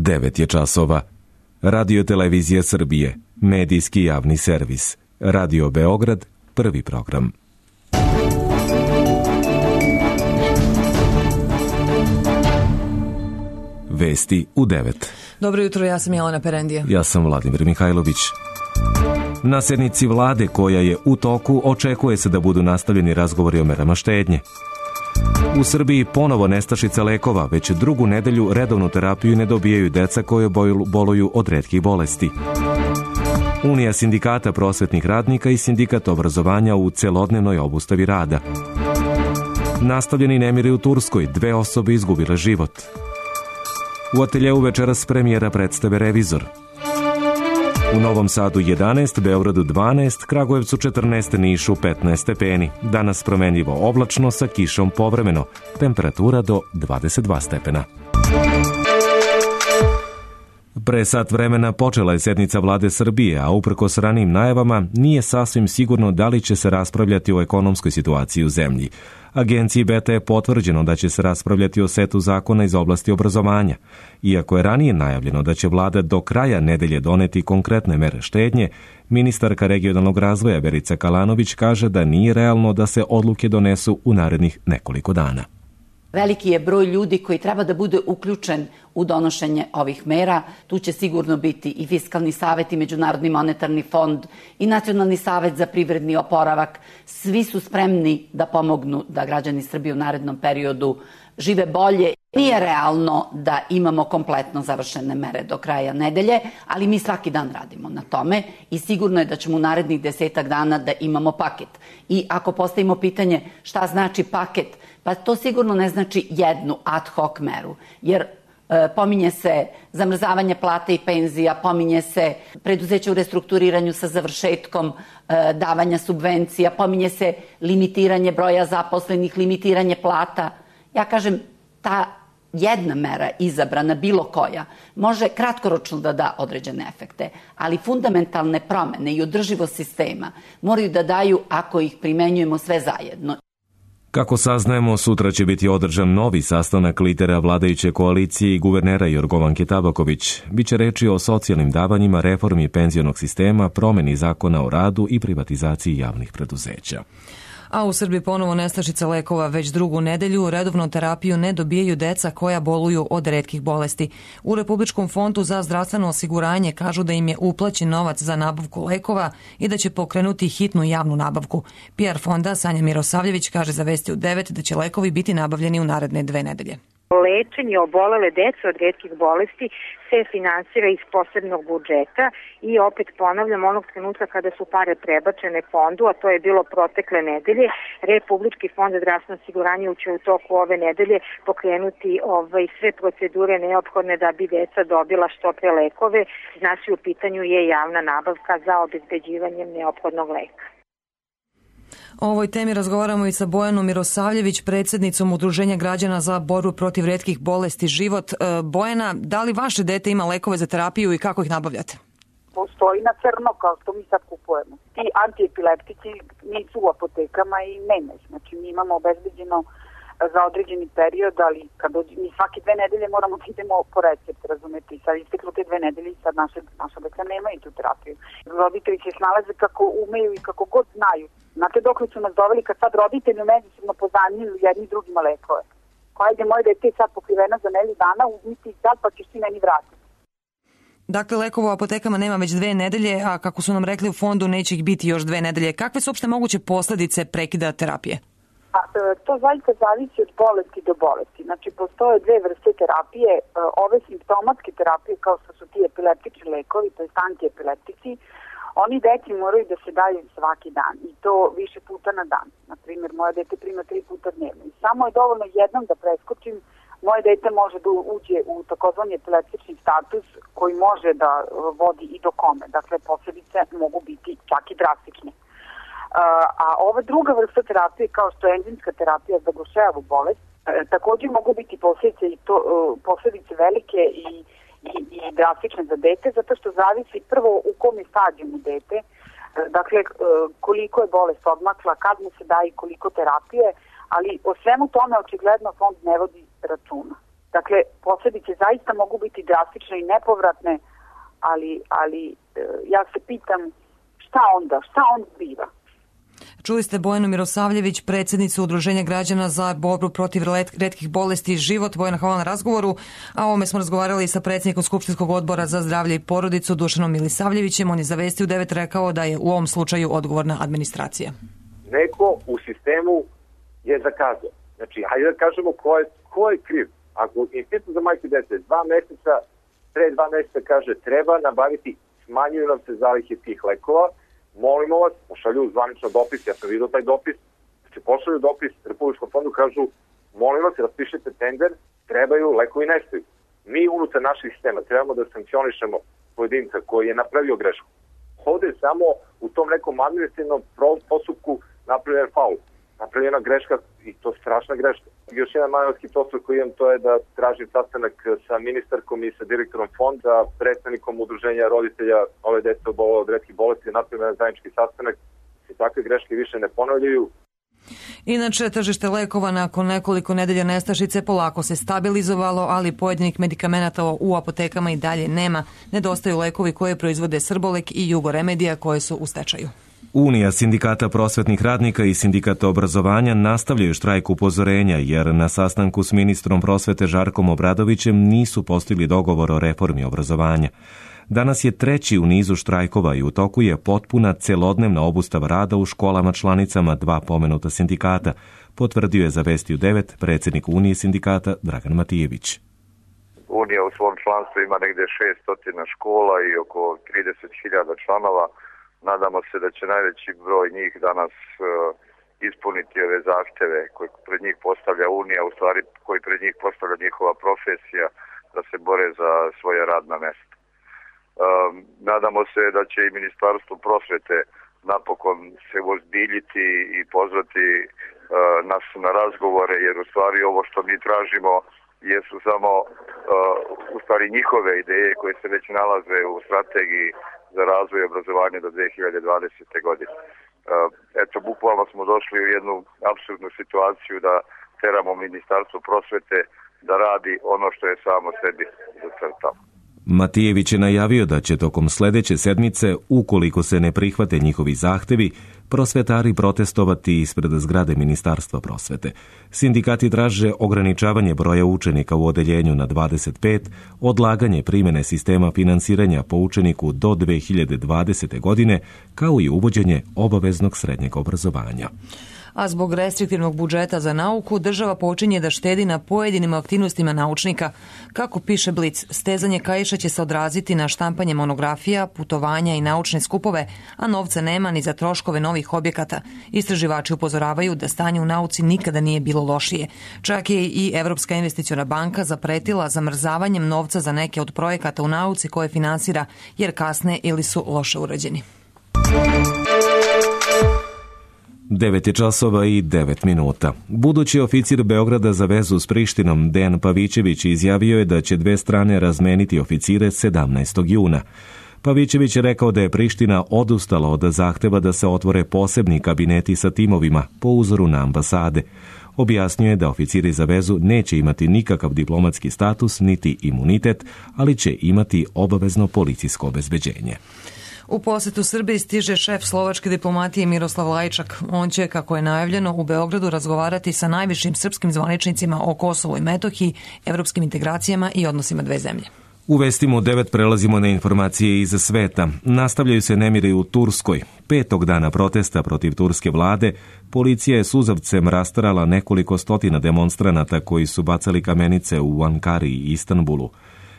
9 je časova. Radio Televizija Srbije, medijski javni servis. Radio Beograd, prvi program. Vesti u 9. Dobro jutro, ja sam Jelena Perendija. Ja sam Vladimir Mihajlović. Na sednici vlade koja je u toku očekuje se da budu nastavljeni razgovori o merama štednje. U Srbiji ponovo nestašica lekova, već drugu nedelju redovnu terapiju ne dobijaju deca koje boluju od retkih bolesti. Unija sindikata prosvetnih radnika i sindikat obrazovanja u celodnevnoj obustavi rada. Nastavljeni nemiri u Turskoj, 2 osobe izgubile život. U ateljeu večeras premijera predstave Revizor. U Novom Sadu 11, Beogradu 12, Kragujevcu 14, Nišu 15 stepeni. Danas promenljivo oblačno sa kišom povremeno. Temperatura do 22 stepena. Pre sat vremena počela je sednica vlade Srbije, a uprkos ranijim najavama nije sasvim sigurno da li će se raspravljati o ekonomskoj situaciji u zemlji. Agenciji Beta je potvrđeno da će se raspravljati o setu zakona iz oblasti obrazovanja. Iako je ranije najavljeno da će vlada do kraja nedelje doneti konkretne mere štednje, ministarka regionalnog razvoja Verica Kalanović kaže da nije realno da se odluke donesu u narednih nekoliko dana. Veliki je broj ljudi koji treba da bude uključen u donošenje ovih mera. Tu će sigurno biti i Fiskalni savet i Međunarodni monetarni fond i Nacionalni savet za privredni oporavak. Svi su spremni da pomognu da građani Srbije u narednom periodu žive bolje. Nije realno da imamo kompletno završene mere do kraja nedelje, ali mi svaki dan radimo na tome i sigurno je da ćemo u narednih 10 dana da imamo paket. I ako postavimo pitanje šta znači paket, pa to sigurno ne znači jednu ad hoc meru, jer pominje se zamrzavanje plata i penzija, pominje se preduzeće u restrukturiranju sa završetkom davanja subvencija, pominje se limitiranje broja zaposlenih, limitiranje plata. Ja kažem, ta jedna mera izabrana, bilo koja, može kratkoročno da da određene efekte, ali fundamentalne promene i održivost sistema moraju da daju ako ih primenjujemo sve zajedno. Kako saznajemo, sutra će biti održan novi sastanak lidera vladajuće koalicije i guvernera Jorgovanke Tabaković. Biće reči o socijalnim davanjima, reformi penzionog sistema, promeni zakona o radu i privatizaciji javnih preduzeća. A u Srbiji ponovo nestašica lekova, već drugu nedelju redovnu terapiju ne dobijaju deca koja boluju od retkih bolesti. U Republičkom fondu za zdravstveno osiguranje kažu da im je uplaćen novac za nabavku lekova i da će pokrenuti hitnu javnu nabavku. PR fonda Sanja Mirosavljević kaže za Vesti u 9 da će lekovi biti nabavljeni u naredne 2 nedelje. Lečenje obolele dece od retkih bolesti se finansira iz posebnog budžeta i opet ponavljam, onog trenutka kada su pare prebačene fondu, a to je bilo protekle nedelje, Republički fond za zdravstveno osiguranje će u toku ove nedelje pokrenuti sve procedure neophodne da bi deca dobila što pre lekove. Znači u pitanju je javna nabavka za obezbeđivanje neophodnog leka. O ovoj temi razgovaramo i sa Bojanom Mirosavljević, predsjednicom Udruženja građana za borbu protiv retkih bolesti Život. Bojana, da li vaše dete ima lekove za terapiju i kako ih nabavljate? Postoji na crno kao što mi sad kupujemo. Ti antiepileptici nisu u apotekama i nema ih. Znači mi imamo obezbeđeno za određeni period, ali kad mi svake 2 nedelje moramo da idemo po recept, razumete, i sad isteklo te 2 nedelje i sad naša deca nemaju tu terapiju. Roditelji se snalaze kako umeju i kako god znaju. Znate dok su nas doveli kad sad roditelji međusobno pozanjuju jedni drugima lekove. Hajde, moje dete je sad pokriveno za nedelju dana, uzmiti i sad pa ćeš ti meni vratiti. Dakle, lekova u apotekama nema već 2 nedelje, a kako su nam rekli u fondu neće ih biti još 2 nedelje. Kakve su uopšte moguće posljedice prekida terapije? To zaista zavisi od bolesti do bolesti. Znači, postoje 2 vrste terapije. Ove simptomatske terapije, kao što su ti epileptični lekovi, to je antiepileptici, oni deci moraju da se daju svaki dan i to više puta na dan. Naprimjer, moje dete prima 3 puta dnevno. I samo je dovoljno jednom da preskočim, moje dete može da uđe u takozvani epileptični status koji može da vodi i do kome. Dakle, posljedice mogu biti čak i drastične. A ova druga vrsta terapije, kao što je enzimska terapija za Gaucherovu bolest, također mogu biti posljedice velike i drastične za dete, zato što zavisi prvo u kom je stadijumu dete, dakle koliko je bolest odmakla, kad mu se daje koliko terapije, ali o svemu tome očigledno fond ne vodi računa. Dakle, posledice zaista mogu biti drastične i nepovratne, ali ja se pitam šta onda biva? Čuli ste Bojanu Mirosavljević, predsjednicu Udruženja građana za borbu protiv retkih bolesti Život. Bojana, hvala na razgovoru. A o ovome smo razgovarali sa predsjednikom Skupštinskog odbora za zdravlje i porodicu Dušanom Milisavljevićem. On je za Vesti u 9 rekao da je u ovom slučaju odgovorna administracija. Neko u sistemu je zakazao. Znači, hajde da kažemo ko je kriv. Ako Institut za majke i dece 2 meseca, pre 2 meseca kaže treba nabaviti, smanjuju nam se zalihe tih lekova, molimo vas, pošalju zvanično dopis, ja sam vidio taj dopis, znači pošalju dopis Republičkom fondu, kažu molim vas, raspišite tender, trebaju, lekovi nestaju. Mi unutar naših sistema trebamo da sankcionišemo pojedinca koji je napravio grešku. Ovde je samo u tom nekom administrativnom postupku napravljen faul, napravljena greška i to strašna greška. Još jedan manevarski posao koji imam, to je da tražim sastanak sa ministarkom i sa direktorom fonda, predstavnikom udruženja roditelja ove dece obolele od retkih bolesti, napravljen zajednički sastanak i takve greške više ne ponavljaju. Inače, tržište lekova nakon nekoliko nedelja nestašice polako se stabilizovalo, ali pojedinih medikamenata u apotekama i dalje nema. Nedostaju lekovi koje proizvode Srbolek i Jugoremedija koje su u stečaju. Unija sindikata prosvetnih radnika i sindikata obrazovanja nastavljaju štrajk upozorenja jer na sastanku s ministrom prosvete Žarkom Obradovićem nisu postigli dogovor o reformi obrazovanja. Danas je 3. u nizu štrajkova i u toku je potpuna celodnevna obustava rada u školama članicama 2 pomenuta sindikata, potvrdio je za Vesti u 9 predsjednik Unije sindikata Dragan Matijević. Unija u svom članstvu ima negde 600 škola i oko 30.000 članova. Nadamo se da će najveći broj njih danas ispuniti ove zahteve koje pred njih postavlja Unija, u stvari koji pred njih postavlja njihova profesija, da se bore za svoje radna mesta. Nadamo se da će i Ministarstvo prosvete napokon se ozbiljiti i pozvati nas na razgovore, jer u stvari ovo što mi tražimo jesu samo u stvari njihove ideje koje se već nalaze u strategiji za razvoj i obrazovanje do 2020. godine. Eto, bukvalno smo došli u jednu apsurdnu situaciju da teramo Ministarstvo prosvete da radi ono što je samo sebi zacrtalo. Matijević je najavio da će tokom sljedeće sedmice, ukoliko se ne prihvate njihovi zahtevi, prosvetari protestovati ispred zgrade Ministarstva prosvete. Sindikati traže ograničavanje broja učenika u odeljenju na 25, odlaganje primjene sistema finansiranja po učeniku do 2020. godine, kao i uvođenje obaveznog srednjeg obrazovanja. A zbog restriktivnog budžeta za nauku, država počinje da štedi na pojedinim aktivnostima naučnika. Kako piše Blic, stezanje kaiša će se odraziti na štampanje monografija, putovanja i naučne skupove, a novca nema ni za troškove novih objekata. Istraživači upozoravaju da stanje u nauci nikada nije bilo lošije. Čak je i Evropska investiciona banka zapretila zamrzavanjem novca za neke od projekata u nauci koje finansira, jer kasne ili su loše urađeni. 9 časova i 9 minuta. Budući oficir Beograda za vezu s Prištinom Dejan Pavićević izjavio je da će 2 strane razmeniti oficire 17. juna. Pavićević je rekao da je Priština odustala od zahteva da se otvore posebni kabineti sa timovima po uzoru na ambasade. Objasnio je da oficiri za vezu neće imati nikakav diplomatski status niti imunitet, ali će imati obavezno policijsko obezbeđenje. U posjetu Srbiji stiže šef slovačke diplomatije Miroslav Lajčak. On će, kako je najavljeno, u Beogradu razgovarati sa najvišim srpskim zvaničnicima o Kosovu i Metohiji, evropskim integracijama i odnosima dve zemlje. U Vestima u 9 prelazimo na informacije iz sveta. Nastavljaju se nemiri u Turskoj. 5. dana protesta protiv turske vlade, policija je suzavcem rastarala nekoliko stotina demonstranata koji su bacali kamenice u Ankari i Istanbulu.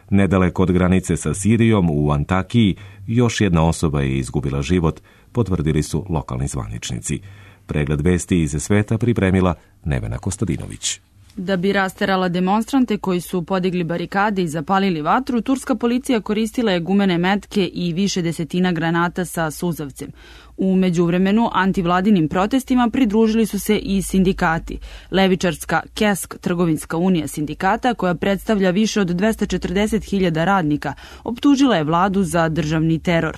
Nedaleko od granice sa Sirijom u Antakiji još jedna osoba je izgubila život, potvrdili su lokalni zvaničnici. Pregled vesti iz sveta pripremila Nevena Kostadinović. Da bi rasterala demonstrante koji su podigli barikade i zapalili vatru, turska policija koristila je gumene metke i više desetina granata sa suzavcem. U međuvremenu antivladinim protestima pridružili su se i sindikati. Levičarska KESK, trgovinska unija sindikata, koja predstavlja više od 240.000 radnika, optužila je vladu za državni teror.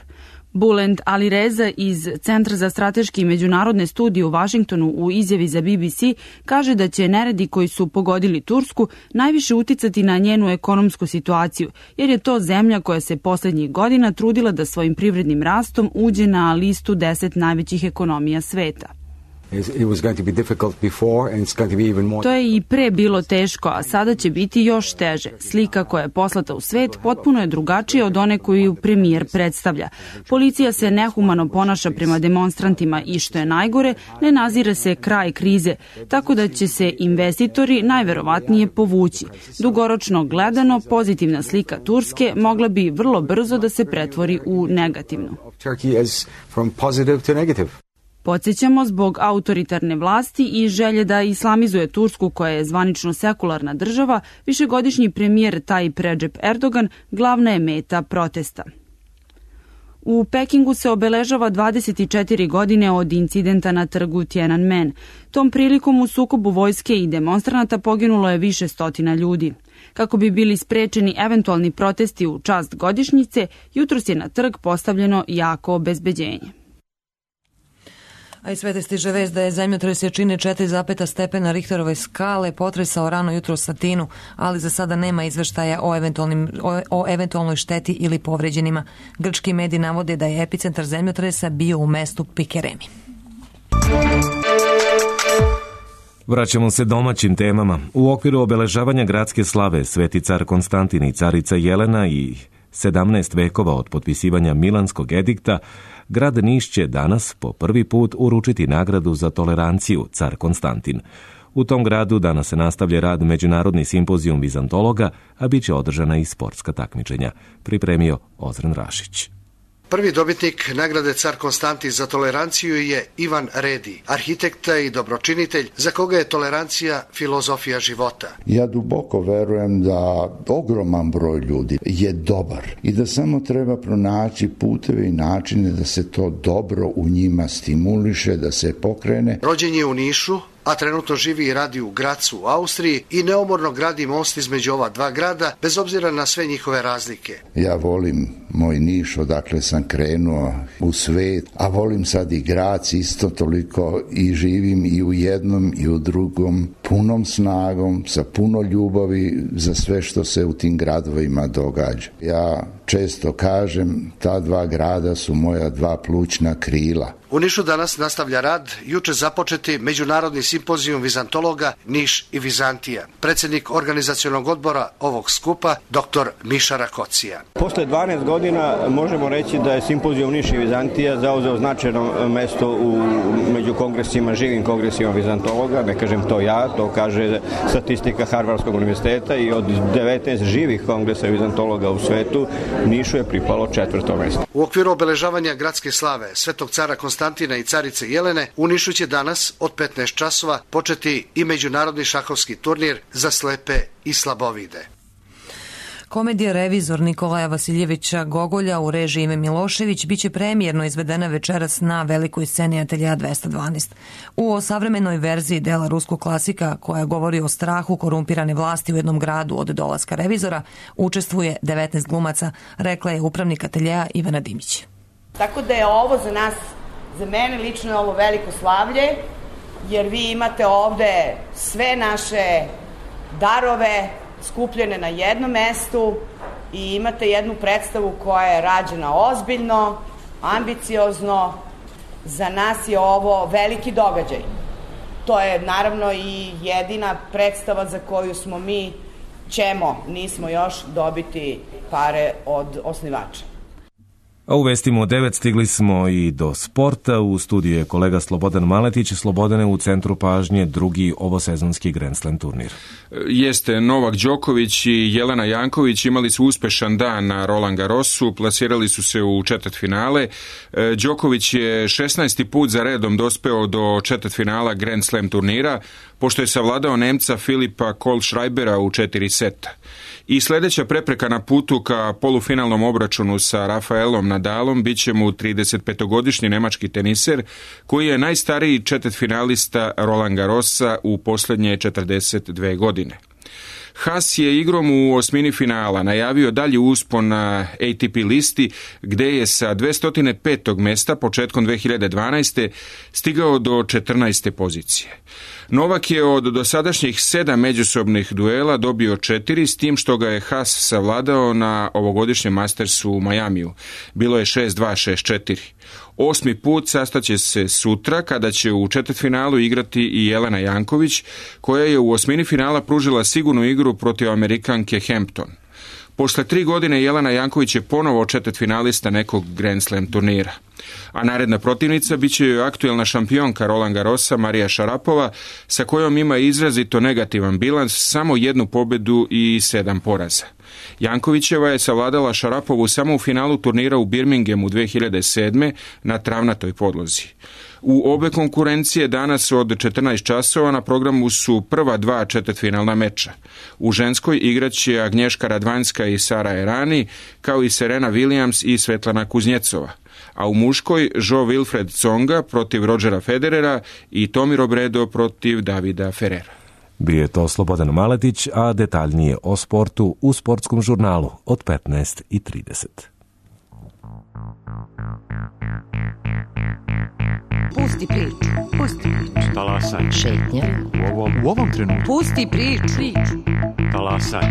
Bulent Alireza iz Centra za strateške i međunarodne studije u Vašingtonu u izjavi za BBC kaže da će neredi koji su pogodili Tursku najviše uticati na njenu ekonomsku situaciju, jer je to zemlja koja se poslednjih godina trudila da svojim privrednim rastom uđe na listu 10 najvećih ekonomija sveta. To je i pre bilo teško, a sada će biti još teže. Slika koja je poslata u svet potpuno je drugačija od one koju premijer predstavlja. Policija se nehumano ponaša prema demonstrantima i, što je najgore, ne nazire se kraj krize, tako da će se investitori najverovatnije povući. Dugoročno gledano, pozitivna slika Turske mogla bi vrlo brzo da se pretvori u negativnu. Podsjećamo, zbog autoritarne vlasti i želje da islamizuje Tursku, koja je zvanično sekularna država, višegodišnji premijer Tayyip Recep Erdogan glavna je meta protesta. U Pekingu se obeležava 24 godine od incidenta na trgu Tiananmen. Tom prilikom u sukobu vojske i demonstranata poginulo je više stotina ljudi. Kako bi bili sprečeni eventualni protesti u čast godišnjice, jutros je na trg postavljeno jako obezbeđenje. A i svete stiže vest da je zemljotres jačine 4,5 stepena Richterove skale potresao rano jutro Satinu, ali za sada nema izveštaja o eventualnoj šteti ili povređenima. Grčki mediji navode da je epicentar zemljotresa bio u mestu Pikeremi. Vraćamo se domaćim temama. U okviru obeležavanja gradske slave Sveti car Konstantin i carica Jelena i 17 vekova od potpisivanja Milanskog edikta, grad Niš će danas po prvi put uručiti nagradu za toleranciju car Konstantin. U tom gradu danas se nastavlja rad Međunarodni simpozijum vizantologa, a bit će održana i sportska takmičenja. Pripremio Ozren Rašić. Prvi dobitnik nagrade Car Konstantin za toleranciju je Ivan Redi, arhitekta i dobročinitelj za koga je tolerancija filozofija života. Ja duboko verujem da ogroman broj ljudi je dobar i da samo treba pronaći puteve i načine da se to dobro u njima stimuliše, da se pokrene. Rođen je u Nišu, a trenutno živi i radi u Gracu u Austriji i neumorno gradi most između ova dva grada, bez obzira na sve njihove razlike. Ja volim moj Niš, odakle sam krenuo u svet, a volim sad i Grac isto toliko i živim i u jednom i u drugom, punom snagom, sa puno ljubavi za sve što se u tim gradovima događa. Ja često kažem, ta dva grada su moja dva plućna krila. U Nišu danas nastavlja rad juče započeti Međunarodni simpozijum vizantologa Niš i Vizantija. Predsjednik organizacionog odbora ovog skupa, dr. Miša Rakocija. Posle 12 godina možemo reći da je simpozijum Niš i Vizantija zauzeo značajno mesto među kongresima, živim kongresima vizantologa, ne kažem to ja, to kaže statistika Harvardskog univerziteta i od 19 živih kongresa vizantologa u svetu, Nišu je pripalo 4. mesto. U okviru obeležavanja gradske slave Svetog cara Konstantina i carice Jelene, u Nišu će danas od 15 časova početi i međunarodni šahovski turnir za slepe i slabovide. Komedija Revizor Nikolaja Vasiljevića Gogolja u režiji Ime Milošević biće premijerno izvedena večeras na velikoj sceni Ateljea 212. U savremenoj verziji dela ruskog klasika koja govori o strahu korumpirane vlasti u jednom gradu od dolaska revizora učestvuje 19 glumaca, rekla je upravnik Ateljea Ivana Dimić. Tako da je ovo za nas, za mene lično je ovo veliko slavlje, jer vi imate ovde sve naše darove skupljene na jednom mestu i imate jednu predstavu koja je rađena ozbiljno, ambiciozno. Za nas je ovo veliki događaj. To je naravno i jedina predstava za koju nismo još dobiti pare od osnivača. A u vestima u 9 stigli smo i do sporta. U studiju je kolega Slobodan Maletić. Slobodane, u centru pažnje drugi ovosezonski Grand Slam turnir. Jeste, Novak Đoković i Jelena Janković imali su uspešan dan na Roland Garrosu, plasirali su se u četvrtfinale. Đoković je 16. put za redom dospeo do četvrtfinala Grand Slam turnira, pošto je savladao Nemca Filipa Kohlschreibera u 4 seta. I sledeća prepreka na putu ka polufinalnom obračunu sa Rafaelom Nadalom biće mu 35-godišnji nemački teniser, koji je najstariji četvrtfinalista Roland Garrosa u poslednje 42 godine. Haas je igrom u osmini finala najavio dalji uspon na ATP listi, gde je sa 205. mesta početkom 2012. stigao do 14. pozicije. Novak je od dosadašnjih 7 međusobnih duela dobio 4, s tim što ga je Haas savladao na ovogodišnjem Mastersu u Majamiju. Bilo je 6-2, 6-4. 8. put sastaće se sutra, kada će u četvrtfinalu igrati i Jelena Janković, koja je u osmini finala pružila sigurnu igru protiv Amerikanke Hampton. Posle 3 godine Jelena Janković je ponovo četvrtfinalista nekog Grand Slam turnira. A naredna protivnica biće joj aktuelna šampionka Roland Garrosa Marija Šarapova, sa kojom ima izrazito negativan bilans, samo 1 pobedu i 7 poraza. Jankovićeva je savladala Šarapovu samo u finalu turnira u Birminghamu 2007. na travnatoj podlozi. U obe konkurencije danas od 14 časova na programu su prva 2 četvrtfinalna meča. U ženskoj igraće Agnješka Radvanjska i Sara Errani, kao i Serena Williams i Svetlana Kuznjecova. A u muškoj Jo Wilfred Tsonga protiv Rodgera Federera i Tomi Robredo protiv Davida Ferrera. Bio je to Slobodan Maletić, a detaljnije o sportu u Sportskom žurnalu od 15:30. Pusti priču. Pusti priču. Talasaj. Šetnja. U ovom trenutku. Pusti priču. Talasaj.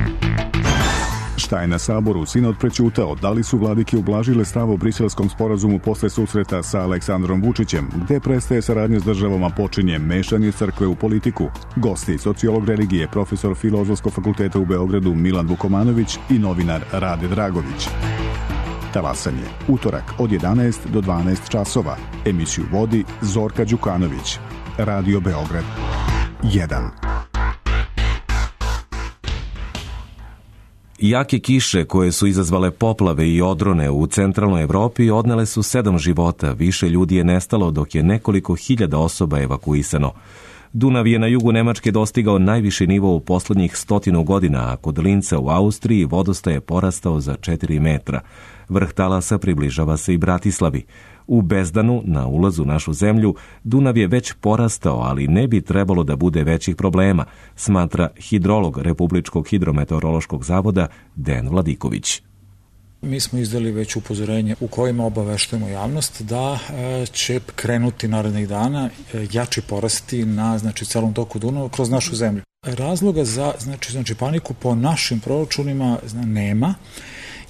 Šta je na Saboru sinod prećutao? Da li su vladike ublažile stav o briselskom sporazumu posle susreta sa Aleksandrom Vučićem? Gde prestaje saradnja s državama, počinje mešanje crkve u politiku? Gosti, sociolog religije, profesor Filozofskog fakulteta u Beogradu Milan Vukomanović i novinar Rade Dragović. Talasanje, utorak od 11 do 12 časova. Emisiju vodi Zorka Đukanović. Radio Beograd 1. Jake kiše koje su izazvale poplave i odrone u centralnoj Evropi odnele su 7 života, više ljudi je nestalo dok je nekoliko hiljada osoba evakuisano. Dunav je na jugu Nemačke dostigao najviši nivo u poslednjih 100 godina, a kod Linca u Austriji vodostaj je porastao za 4 metra. Vrh talasa približava se i Bratislavi. U Bezdanu, na ulazu u našu zemlju, Dunav je već porastao, ali ne bi trebalo da bude većih problema, smatra hidrolog Republičkog hidrometeorološkog zavoda Dejan Vladiković. Mi smo izdali već upozorenje u kojima obaveštujemo javnost da će krenuti narednih dana jači porasti na celom toku Dunava kroz našu zemlju. Razloga za paniku po našim proračunima nema,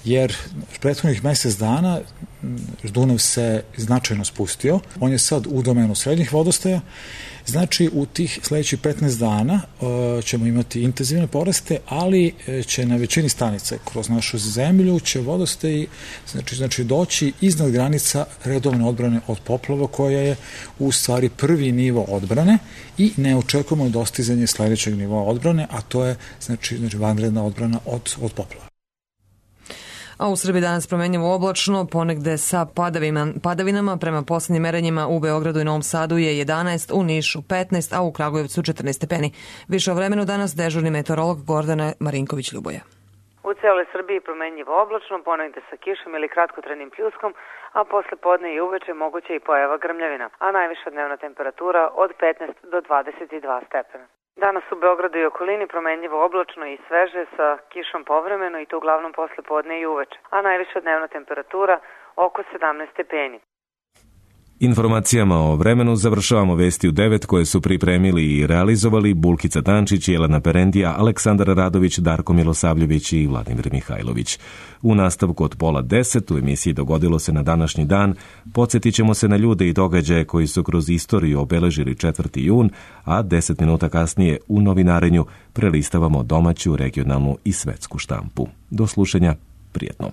jer prethodnih mesec dana Dunav se značajno spustio. On je sad u domenu srednjih vodostaja. Znači, u tih sledećih 15 dana ćemo imati intenzivne poraste, ali će na većini stanica kroz našu zemlju će vodostaji doći iznad granica redovne odbrane od poplava, koja je u stvari prvi nivo odbrane, i ne očekujemo dostizanje sledećeg nivoa odbrane, a to je vanredna odbrana od poplava. A u Srbiji danas promenljivo oblačno, ponegde sa padavinama. Prema poslednjim merenjima u Beogradu i Novom Sadu je 11, u Nišu 15, a u Kragujevcu 14 stepeni. Više o vremenu danas dežurni meteorolog Gordana Marinković-Ljuboja. U celoj Srbiji promenljivo oblačno, ponegde sa kišom ili kratkotrenim pljuskom, a posle podne i uveče moguće i pojava grmljavina, a najviša dnevna temperatura od 15 do 22 stepena. Danas u Beogradu i okolini promenljivo oblačno i sveže sa kišom povremeno, i to uglavnom posle podne i uveče, a najviša dnevna temperatura oko 17 stepeni. Informacijama o vremenu završavamo vesti u 9 koje su pripremili i realizovali Bulkica Tančić, Jelena Perendija, Aleksandar Radović, Darko Milosavljević i Vladimir Mihajlović. U nastavku od 9:30 u emisiji Dogodilo se na današnji dan podsjetit ćemo se na ljude i događaje koji su kroz istoriju obeležili 4. jun, a 10 minuta kasnije u novinarenju prelistavamo domaću, regionalnu i svetsku štampu. Do slušanja, prijetno.